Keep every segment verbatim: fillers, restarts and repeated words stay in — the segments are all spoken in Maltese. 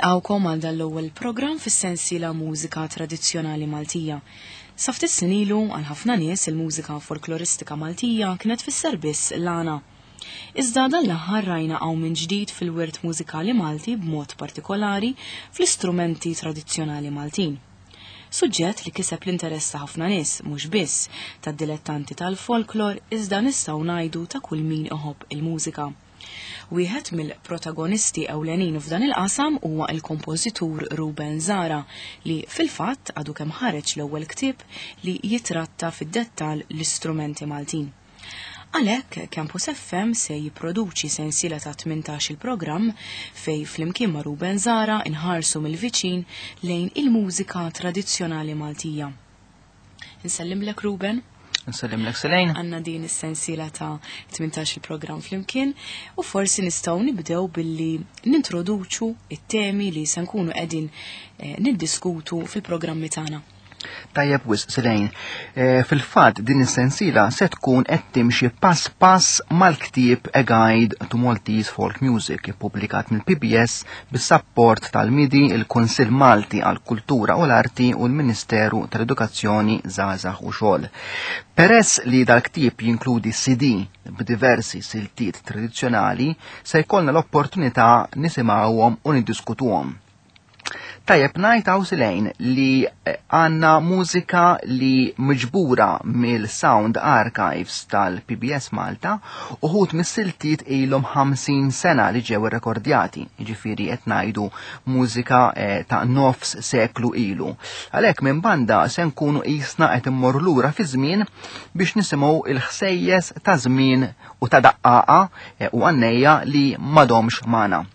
Nilqawkom għal dan l-ewwel programm fis-sensiela Mużika Tradizzjonali Maltija. Sa ftit snin ilu għal ħafna nies il-mużika folkloristika Maltija kienet tfisser biss l-għana. Iżda dan l-aħħar rajna hawn minn ġdid fil-wirt mużikali Malti b'mod partikolari fl-istrumenti tradizzjonali Maltin. Suġġett li kiseb l-interess ta' ħafna nies mhux biss tad-dilettanti tal-folklor iżda nistgħu ngħidu ta' kull min iħobb il-mużika. Wieħed mill-protagonisti ewlenin f'dan il-qasam huwa il-kompożitur Ruben Zara li fil-fatt għadu kemm ħareġ l-ewwel ktieb li jitratta fid-dettall l-istrumenti Maltin. Għalhekk Campus F M se jipproduċi sensiela ta' tmintax il-programm fej flimkien ma' Ruben Zara inħarsu mill-viċin lejn il-mużika tradizzjonali Maltija. Nsellimlek, Ruben. Nsellimlek, Selejn. Għanna din is-sensiela ta' tmintax il-programm flimkien u forsi nistgħu nibdew billi nintroduċu it-temi li se nkunu qegħdin eh, niddiskutu fil-programmi tagħna. Tajjeb wisq, Selejn. E, Fil-fatt din is-sensiela se tkun qed timxi pass pass mal-ktieb A Guide to Maltese Folk Music, ippubblikat mill-P B S bis-sapport tal-MIDI, il-Kunsill Malti għall-Kultura u l-Arti u l-Ministeru tal-Edukazzjoni, Żgħażagħ u Xogħol. Peress li dal-ktieb jinkludi C D b'diversi siltiet tradizzjonali, se jkollna l-opportunità nisimgħuhom u niddiskutuhom. Tajjeb ngħid hawn, Selejn, li eh, għanna mużika li miġbura mill-Sound Archives tal-P B S Malta. Uħud mis-siltiet ilhom ħamsin sena li ġew irrekordjati, jiġifieri qed ngħidu mużika eh, ta' nofs seklu ilu. Għalhekk minn banda se nkunu qisna qed immorru lura fi żmien biex nisimgħu il-ħsejjes ta' żmien u ta' daqqaqa eh, u għannejja li m'għadhomx magħna.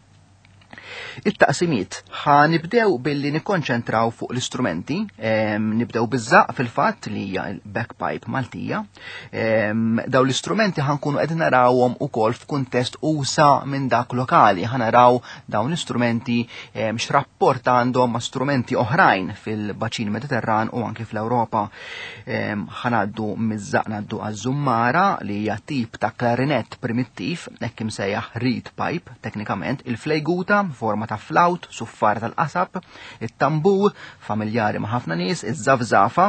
It-taqsimiet: ħa nibdew billi nikkonċentraw fuq l-istrumenti, em, nibdew biż-żaqq fil-fatt, li hija l-bagpipe Maltija. Em, Daw l-istrumenti ħa nkunu qed narawhom ukoll f'kuntest usa' minn dak lokali, ħa naraw dawn l-istrumenti em, x'rapport għandhom ma' strumenti oħrajn fil-baċin Mediterran u anki fl-Ewropa. Em, Ħa ngħaddu miż-żaqq ngħaddu għaż-żummara, li hija tip ta' klarinett primittiv, hekk imsejjaħ reed pipe teknikament, il-flejguta, forma ta' flaut, suffar tal-qasab, it-tambur, familjari ma' ħafna nies, iż-żafżafa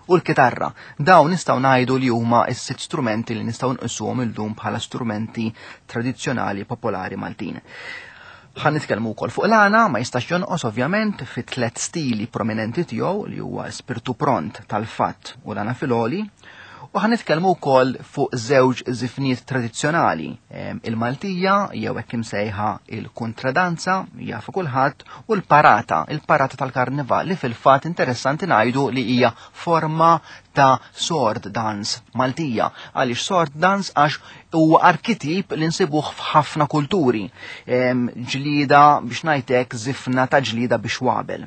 u l-kitarra. Dawn nistgħu ngħidu li huma s-sitt strumenti li nistgħu nqisuhom illum bħala strumenti tradizzjonali popolari Maltin. Ħa nitkellmu wkoll fuq l-għana, ma jistax jonqos ovvjament, fi tliet stili prominenti tiegħu, li huwa spirtu pront, tal-fatt u l-għana filgħoli. U ħa nitkellmu wkoll fuq żewġ żifniet tradizzjonali, em, il-Maltija jew hekk imsejħa il-kontradanza, jafu kulħadd, u l-parata, il-parata tal-karnival, li fil-fatt interessanti ngħidu li hija forma ta' sword dance Maltija. Għaliex sword dance? Għax huwa arkitip li nsibuh f'ħafna kulturi. Em, Ġlida biex ngħidlek żifna ta' ġlida biex wabel.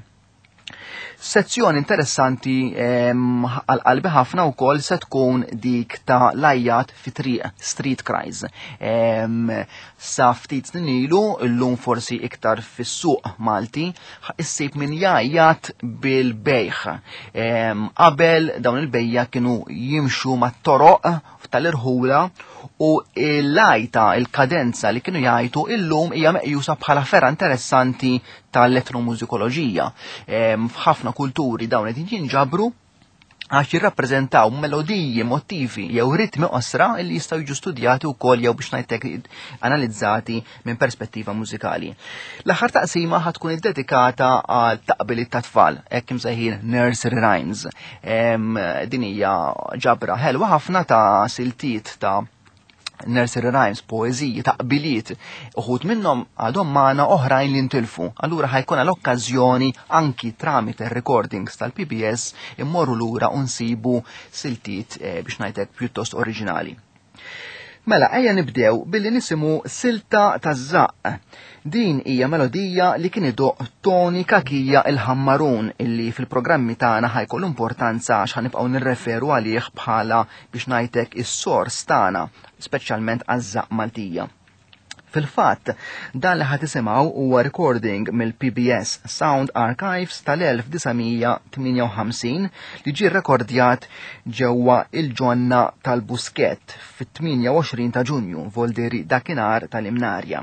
Sezzjoni interessanti għal qalbi ħafna wkoll se tkun dik ta' l-għajjat fi triq, street cries. Em, Sa ftit snin ilu, illum forsi iktar fis-suq Malti, issib min jgħajjat bil-bejħ. Em, Qabel dawn il-bejja kienu jimxu mat-toroq tal-irħula u l-għajta, il-kadenza li kienu jgħajtu, illum hija meqjusa bħala fergħa interessanti tal-etnomużikoloġija. Em, F'ħafna kulturi dawn qed jinġabru għax jirrappreżentaw melodiji, motivi jew ritmi qosra li jistgħu jiġu studjati wkoll jew biex ngħidlek analizzati minn perspettiva mużikali. L-aħħar taqsima ħa tkun iddedikata għal taqbiliet ta' tfal, hekk imsejħin nursery rhymes. Em, Din hija ġabra ħelwa ħafna ta' siltiet ta' nursery rhymes, poeziji, taqbiliet, uħud minnhom għadhom magħna, oħrajn li ntilfu. Allura ħa jkun l-okkażjoni anki tramite recordings tal-P B S immorru lura u nsibu siltiet eh, biex ngħidlek pjuttost oriġinali. Mela, ejja nibdew billi nisimgħu silta ta' żaqq. Din hija melodija li kien idoqq Toni Cachia il-Ħammarun, illi fil-programmi tagħna ħa jkollu importanza għax ħa nibqgħu nirreferu għalih bħala biex ngħidlek is-sors tagħna, speċjalment għaż-żaqq Maltija. Fil-fatt, dan li ħa tisimgħu huwa recording mill-P B S Sound Archives tal-elf disa' mija tmienja u ħamsin li ġie rekordjat ġewwa il-ġonna tal-Buskett fit-tmienja u għoxrin ta' Ġunju, voldiri dakinhar tal-Imnarja.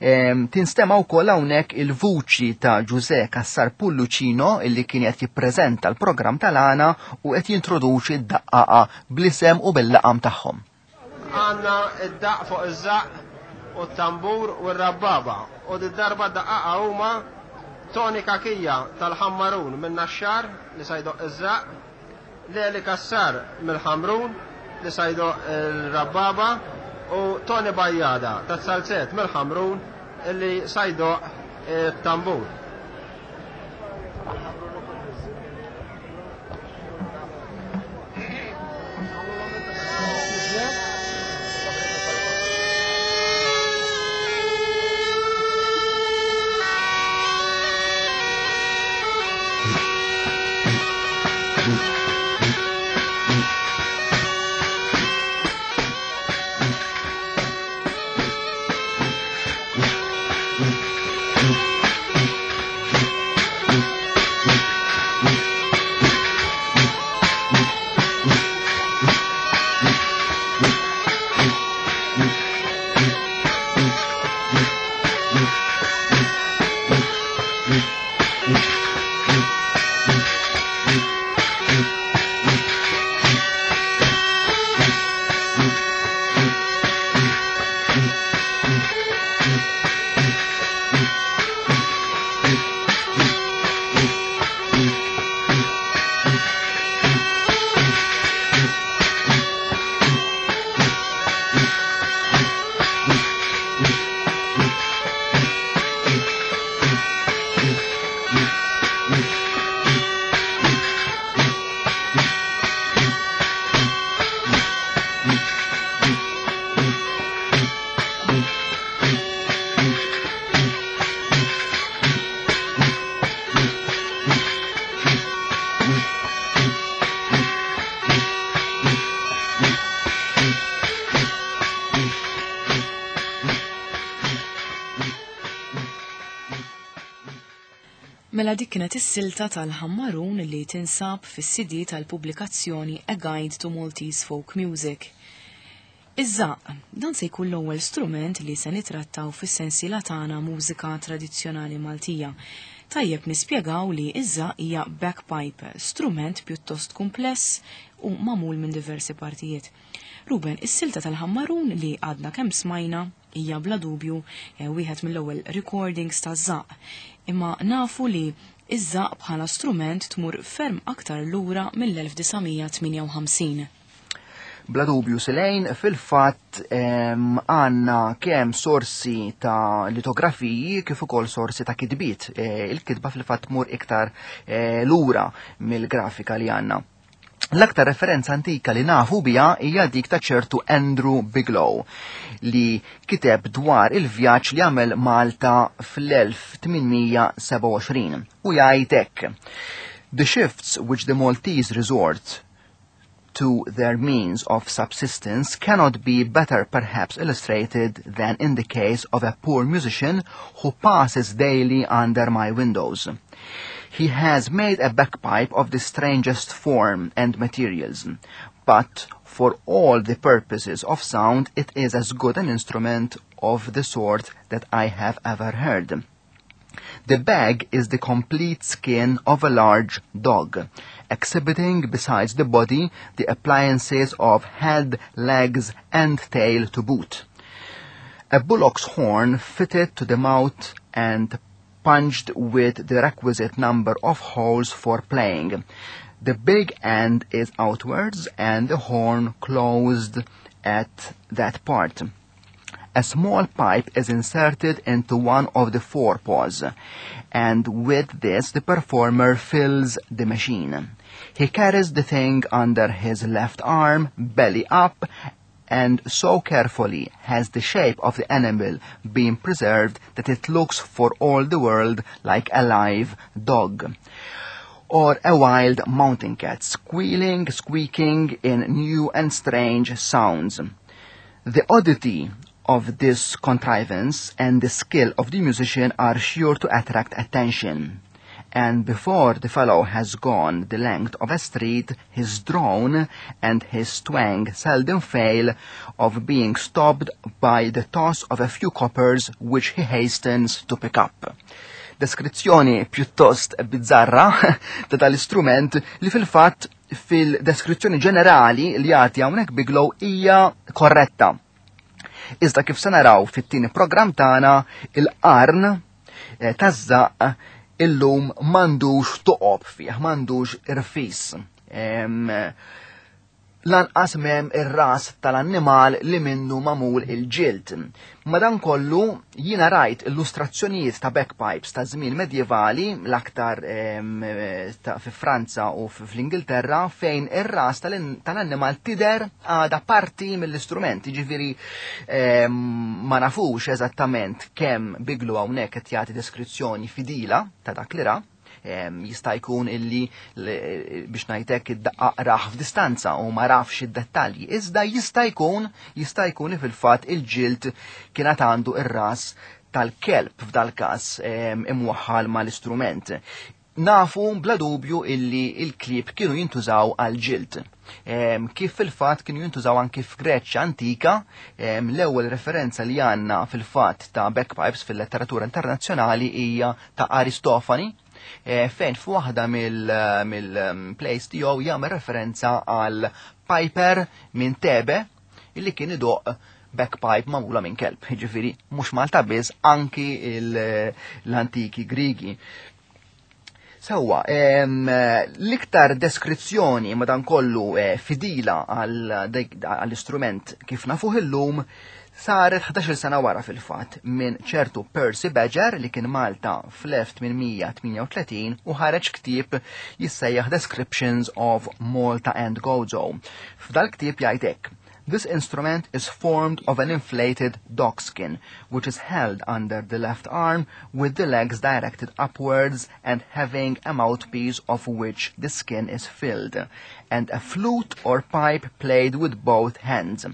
Tinstema' wkoll hawnhekk il-vuċi ta' Ġuże Cassar Pullucino, illi kien qed jippreżenta l-programm tal-għana u qed jintroduċi d-daqqaqa bl-isem u bil-laqam tagħhom. Għandna id-daq fuq iż-żaq u t-tambur u r-rabbaba. U d-darba daqqaqa huma Tony Kakija tal-Ħammarun minn Naxxar li sa jdoqq iż-żaq, Leli Kassar mill-Ħamrun li sa jdoqq il-rabbaba u Tony Bajjada tas-Salzet mill-Ħamrun illi sa jdoqq it-tambur. Mela dik kienet is-silta tal-Ħammarun li tinsab fis-C D tal-pubblikazzjoni A Guide to Maltese Folk Music. Iż-żaq, dan se jkun l-ewwel strument li se nitrattaw fis-sensiela tagħna Mużika Tradizzjonali Maltija. Tajjeb nispjegaw li iż-żaq hija bagpipe, strument pjuttost kumpless u magħmul minn diversi partijiet. Ruben, is-silta tal-Ħammarun li għadna kemm smajna hija bla dubju eh, wieħed mill-ewwel recordings ta' żaq. Imma nafu li iż-żaq bħala strument tmur ferm aktar lura mill-elf disa' mija tmienja u ħamsin. Bla dubju, Silejn, fil-fatt għandna kemm sorsi ta' litografiji kif ukoll sorsi ta' kitbiet. E, il-kitba fil-fatt tmur iktar e, lura mill-grafika li għandna. L-aktar referenza antika li nafu bija hija dik ta' ċertu Andrew Bigelow li kiteb dwar il-vjaġġ li għamel Malta fl-elf tmien mija sebgħa u għoxrin u jgħid hekk: "The shifts which the Maltese resort to their means of subsistence cannot be better perhaps illustrated than in the case of a poor musician who passes daily under my windows. He has made a bagpipe of the strangest form and materials, but for all the purposes of sound it is as good an instrument of the sort that I have ever heard. The bag is the complete skin of a large dog, exhibiting besides the body the appliances of head, legs, and tail to boot. A bullock's horn fitted to the mouth and punched with the requisite number of holes for playing. The big end is outwards and the horn closed at that part. A small pipe is inserted into one of the forepaws, and with this the performer fills the machine. He carries the thing under his left arm, belly up, and so carefully has the shape of the animal been preserved that it looks for all the world like a live dog or a wild mountain cat, squealing, squeaking in new and strange sounds. The oddity of this contrivance and the skill of the musician are sure to attract attention. And before the fellow has gone the length of a street, his drone and his twang seldom fail of being stopped by the toss of a few coppers which he hastens to pick up. Deskrizzjoni pjuttost bizzarra ta' tal-istrument li fil-fatt fil-deskrizzjoni ġenerali li jagħti hawnhekk Bigelow hija korretta. Iżda kif se naraw fit-tieni programm tagħna, il-qarn eh, taż-żaqq illum m'għandux toqob fih, m'għandux irfis. Lanqas m'hemm ir-ras tal-annimal li minnu magħmul il-ġild. Madankollu jiena rajt illustrazzjonijiet ta' bagpipes ta' żmien medjevali, l-aktar fi Franza u fl-Ingilterra, fejn ir-ras tal-annimal tidher għada parti mill-istrument. Jiġifieri ma nafux eżattament kemm Bigelow hawnhekk qed jagħti deskrizzjoni fidila ta' dak li ra. Jista' jkun illi, biex ngħidlek, id-daqqaq rah f'distanza u ma rafx id-dettalji. Iżda jista' jkun jista' jkun li fil-fatt il-ġild kienet għandu ir-ras tal-kelb f'dal-każ imwaħħal mal-istrument. Nafu bla dubju illi il-klieb kienu jintużaw għal-ġild. Kif fil-fatt kienu jintużaw anki f'Greċja antika, l-ewwel referenza li għandna fil-fatt ta' bagpipes fil-letteratura internazzjonali hija ta' Aristofani, fejn f'waħda mill-plays tiegħu jagħmel referenza għal piper minn Tebe illi kien idoq bagpipe magħmula minn kelb. Jiġifieri mhux Malta biss, anki l-antiki Grigi. Sewwa, l-iktar deskrizzjoni madankollu fidila għall-istrument kif nafuh illum saret ħdax-il sena wara fil-fatt minn ċertu Percy Badger li kien Malta fl-elf tmien mija tmienja u tletin u ħareġ ktieb jissejjaħ Descriptions of Malta and Gozo. F'dal ktieb jgħid hekk: "This instrument is formed of an inflated dogskin, which is held under the left arm with the legs directed upwards and having a mouthpiece of which the skin is filled, and a flute or pipe played with both hands.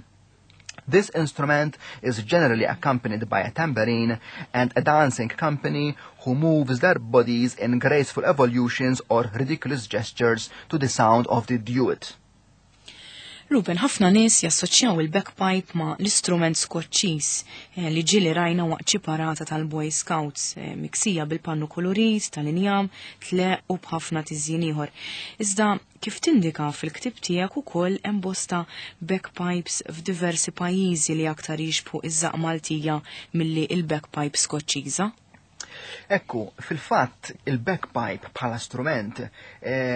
This instrument is generally accompanied by a tambourine and a dancing company who moves their bodies in graceful evolutions or ridiculous gestures to the sound of the duet." Ruben, ħafna nies jassoċjaw il-bagpipe ma' l-istrument Skoċċiż eh, li ġieli rajna waqt xi parata tal-Boy Scouts, eh, miksija bil-pannu kolorit, tal-injam, tleq u b'ħafna tiżjin ieħor. Iżda kif tindika fil-ktib tiegħek ukoll hemm bosta bagpipes f'diversi pajjiżi li aktar jixbħu iż-żaqq Maltija milli il-bagpipe Skoċċiża. Ekku, fil-fatt il-bagpipe bħala strument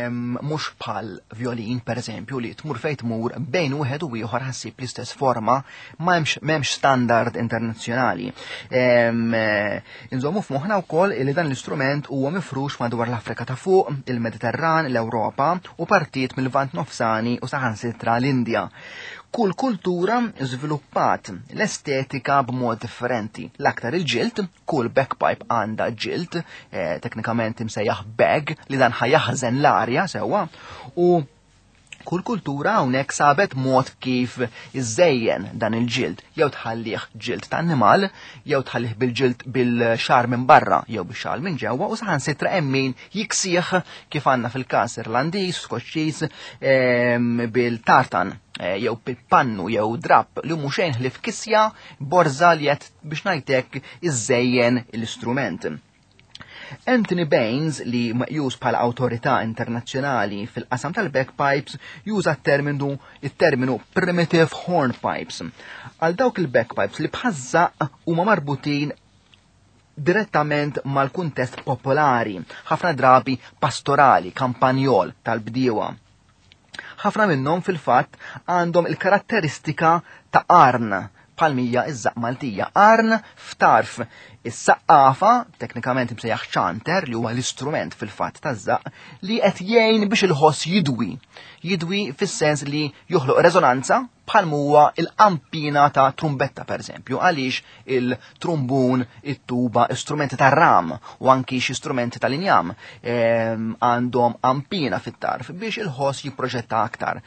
mhux bħal violin, per eżempju, li tmur fejn tmur bejn wieħed u ieħor ħa ssib l-istess forma, ma hemmx standard internazzjonali. Inżommu f'moħħna wkoll li dan l-istrument huwa mifrux madwar l-Afrika ta' fuq, il-Mediterran, l-Ewropa u partijiet mill-Lvant Nofsani u saħansitra l-Indja. Kull kultura żviluppat l-estetika b'mod differenti. L-aktar il-ġild, kull bagpipe għandha ġild, eh, teknikament imsejjaħ bag, li dan ħa jaħżen l-arja sewwa, u kull kultura hawnhekk sabet mod kif iżejjen dan il-ġild, jew tħallih ġild ta' annimal, jew tħallih bil-ġild bil-xagħar minn barra, jew bil-xagħar minn ġewwa, u saħansitra hemm min jiksih, kif għandna fil-każ Irlandiż, Skoċċiż, bil-tartan, eh, jew bil-pannu jew drap li mhux xejn ħlief kisja borza li qed, biex ngħidlek, iżejjen l-istrument. Anthony Baines, li meqjus bħala awtorità internazzjonali fil-qasam tal-bagpipes, juża terminu il-terminu primitive hornpipes għal dawk il-bagpipes li bħaż-żaqq huma marbutin direttament mal-kuntest popolari, ħafna drabi pastorali, kampanjol tal-bdiewa. Ħafna minnhom fil-fatt għandhom il-karatteristika ta' qarn bħalma hija iż-żaqq Maltija. Qarn f'tarf is-saqqafa, teknikament imsejjaħ chanter, li huwa l-istrument fil-fatt taż-żaqq li qed jgħin biex il-ħoss jidwi. Jidwi fis-sens li joħloq rezonanza bħal huwa il-qampina ta' trumbetta, per eżempju, għaliex il-trumbun, it-tuba, istrumenti ta' ram u anki xi strumenti tal-injam ehm, għandhom qampina fit-tarf biex il-ħoss jipproġetta aktar.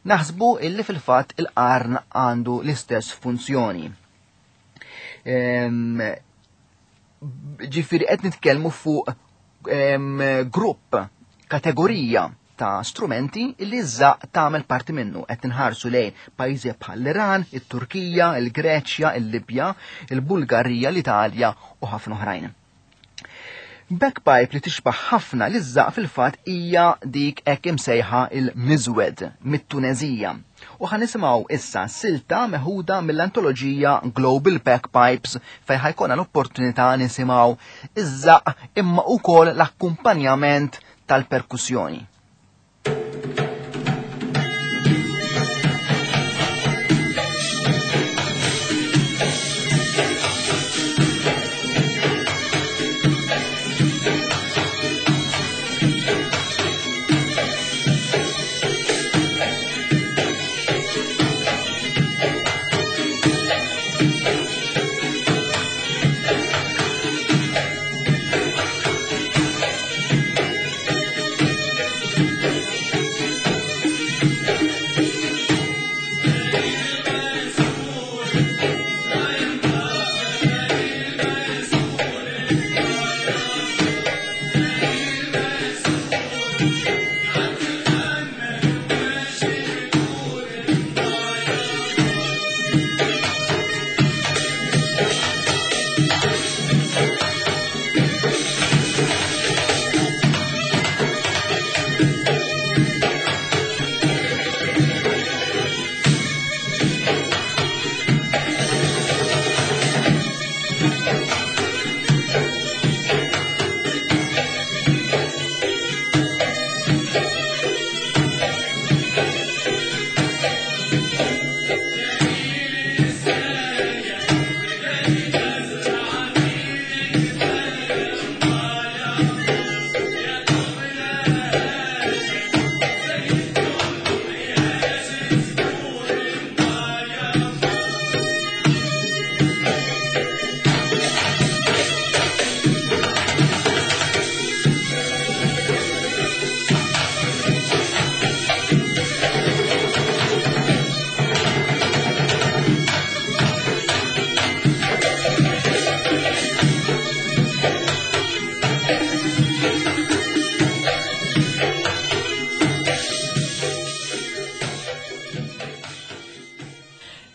Naħsbu illi fil-fatt il-qarn għandu l-istess funzjoni. Ġifieri qed nitkellmu fuq grupp, kategorija ta' strumenti li ż-żaqq tagħmel parti minnu. Qed inħarsu lejn pajjiżi bħal l-Iran, it-Turkija, il-Greċja, il-Libja, il-Bulgarija, l-Italja u ħafna oħrajn. Bagpipe li tixbaħ ħafna li ż-żaqq fil-fatt hija dik hekk imsejħa il-Mizwed mit-Tunezija. U ħa nisimgħu issa silta meħuda mill-antoloġija Global Bagpipes fejn ħajkonna l-opportunità nisimgħu iż-żaqq imma wkoll l-akkumpanjament tal-perkussjoni.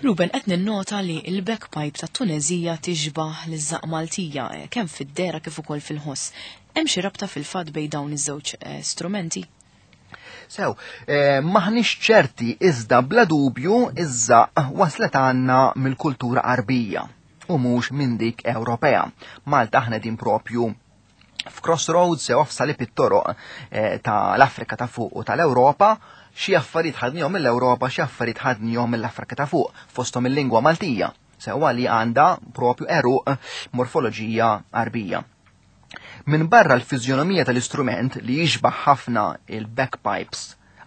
Ruben, qed ninnota li l-bagpipe tat-Tunezija tixbaħ liż-żaqq Maltija kemm fid-dera kif ukoll fil-ħoss. Hemm xi rabta fil-fatt bejn dawn iż-żewġ strumenti? Sew, eh, maħniex ċerti iżda bla dubju iż-żaqq waslet għandna mill-kultura Arbija u mhux minn dik Ewropea. Malta aħna din propju f'crossroads sew f'salib it-toroq eh, tal-Afrika ta' fuq u tal-Ewropa. Xi affarijiet ħadnihom mill-Ewropa, xi affarijiet ħadnihom mill-Afrika ta' fuq, fosthom il-lingwa Maltija, sewwa li għandha propju eruq morfoloġija Arbija. Min barra l-fiżjonomija tal-istrument li jixbaħ ħafna il-bagpipes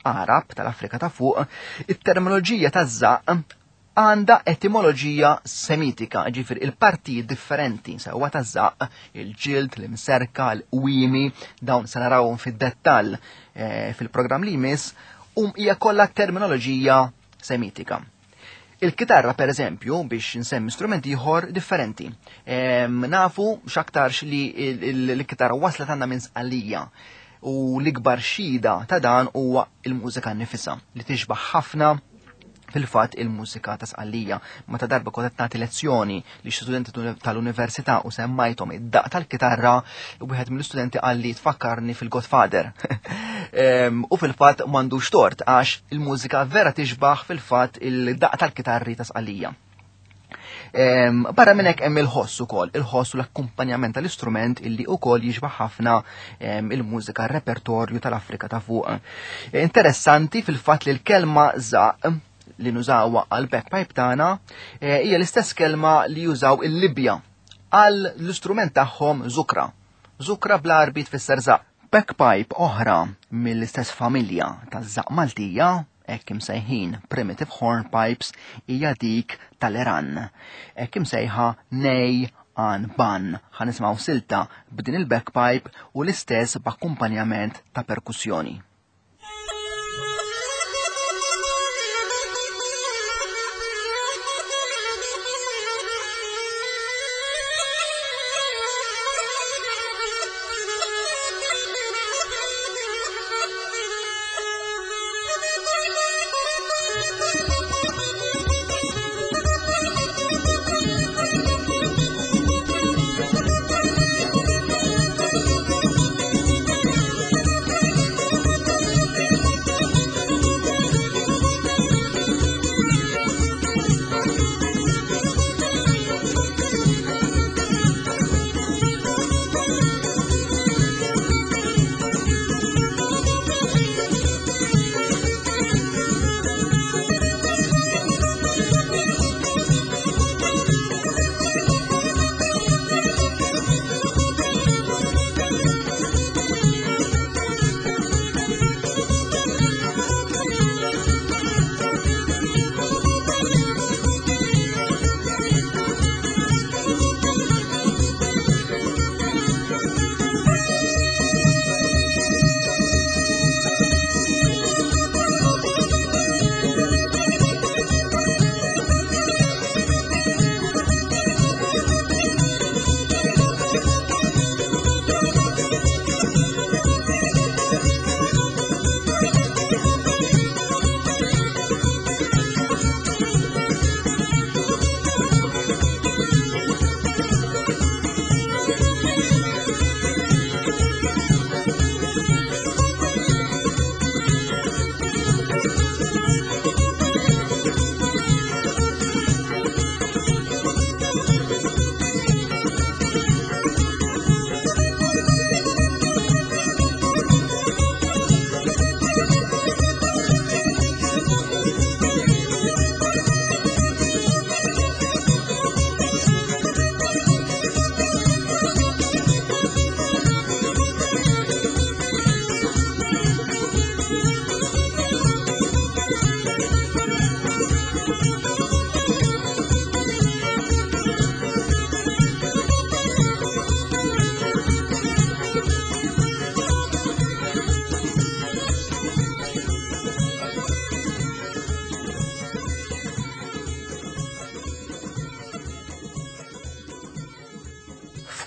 Arab tal-Afrika ta' fuq, it-terminoloġija taż-żaqq għandha etimoloġija semitika, ġifieri il-partijiet differenti sewwa taż-żaqq, il-ġild, l-imserka, l-qwiemi, dawn se narawhom fid-dettall eh, fil-programm li jmiss, um hija kollha terminoloġija semitika. Il-kitarra, per eżempju, biex nsemmi strument ieħor differenti. Ehm, nafu x'aktarx li l-kitarra waslet għandna minn Sqallija u l-ikbar xhieda ta' dan huwa il-mużika nnifisha li tixbaħ ħafna fil-fatt il-mużika ta' Sqallija. Meta darba kont qed nagħti lezzjoni li xi studenti tal-università u semmajthom id-daq tal-kitarra, wieħed mill-istudenti qal li tfakkarni fil-Godfather. U fil-fatt m'għandux tort għax il-mużika vera tixbaħ fil-fatt il-daq tal-kitarri ta' Sqallija. Barra minn hekk hemm il-ħoss ukoll, il-ħoss u l-akkumpanjament tal-istrument illi ukoll jixbaħ ħafna il-mużika repertorju tal-Afrika ta' fuq. Interessanti fil-fatt li l-kelma żaqq li nużawha għal bagpipe tagħna hija l-istess kelma li jużaw il-Libja għal l-istrument tagħhom zukra. Zukra bl-Arbi tfisser żaqq. Bagpipe oħra mill-istess familja taż-żaqq Maltija, hekk imsejħin primitive hornpipes, hija dik tal-Iran. Hekk imsejħa nej an ban. Ħa nisimgħu silta b'din il-bagpipe u l-istess b'akkumpanjament ta' perkussjoni.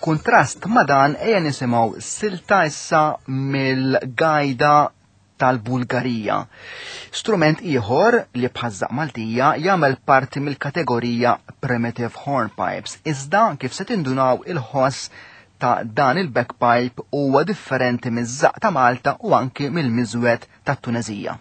F'kuntrast ma' dan ejja nisimgħu silta issa mill-gajda tal-Bulgarija. Strument ieħor li bħaż-żaqq Maltija jagħmel parti mill-kategorija Primitive Hornpipes. Iżda kif se tindunaw il-ħoss ta' dan il-bagpipe huwa differenti miż-żaqq ta' Malta u anki mill-miżwed tat-Tunezija.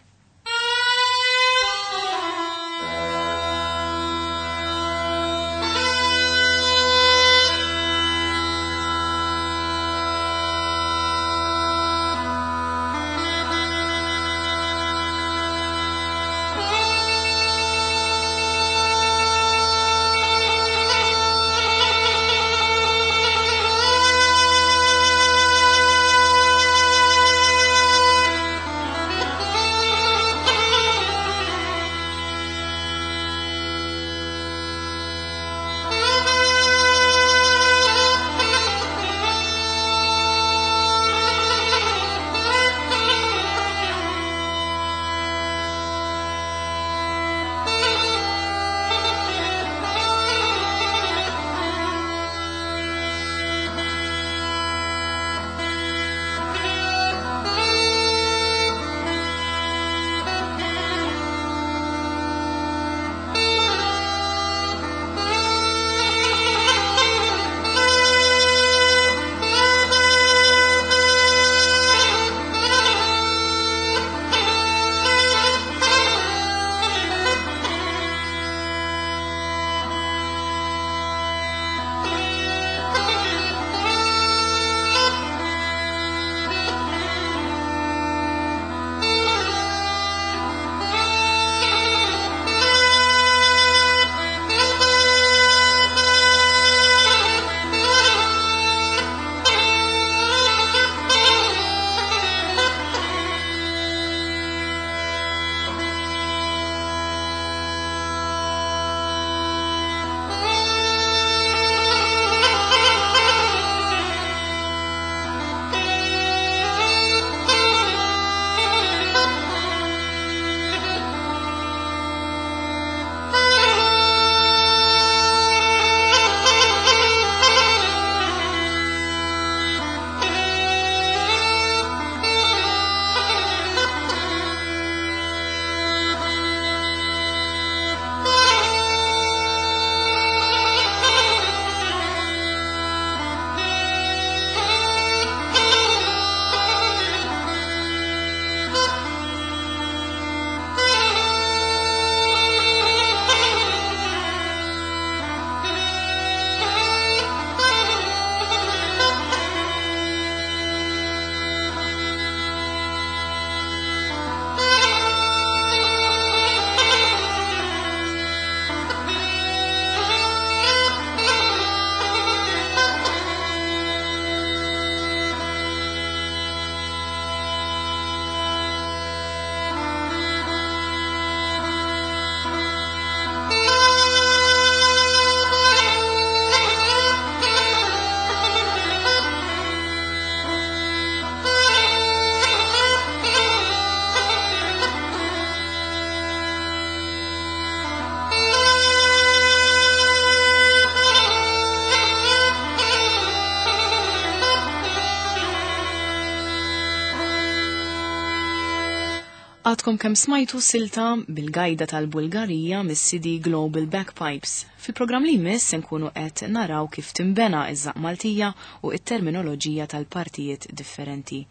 Għadkom kemm smajtu silta bil-gajda tal-Bulgarija mis-C D Global Bagpipes. Fil-programm li jmiss se nkunu qed naraw kif timbena iż-żaqq Maltija u t-terminoloġija tal-partijiet differenti.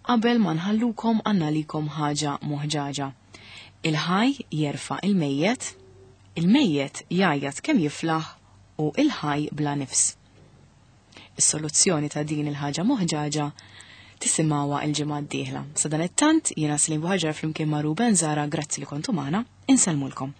Qabel ma nħallukom għandna ħaġa moħġaġa. Il-ħaj jerfa' il-mejjet, il-mejjet jgħajjat kemm jiflaħ u il-ħaj bla nifs. Is-soluzzjoni ta' din il-ħaġa moħġaġa tisimawa il-ġimgħa d-dieħla. Sa dan it-tant jiena Celine Buhagiar flimkien ma' Ruben Zahra, grazzi li kontu magħna, insellmulkom.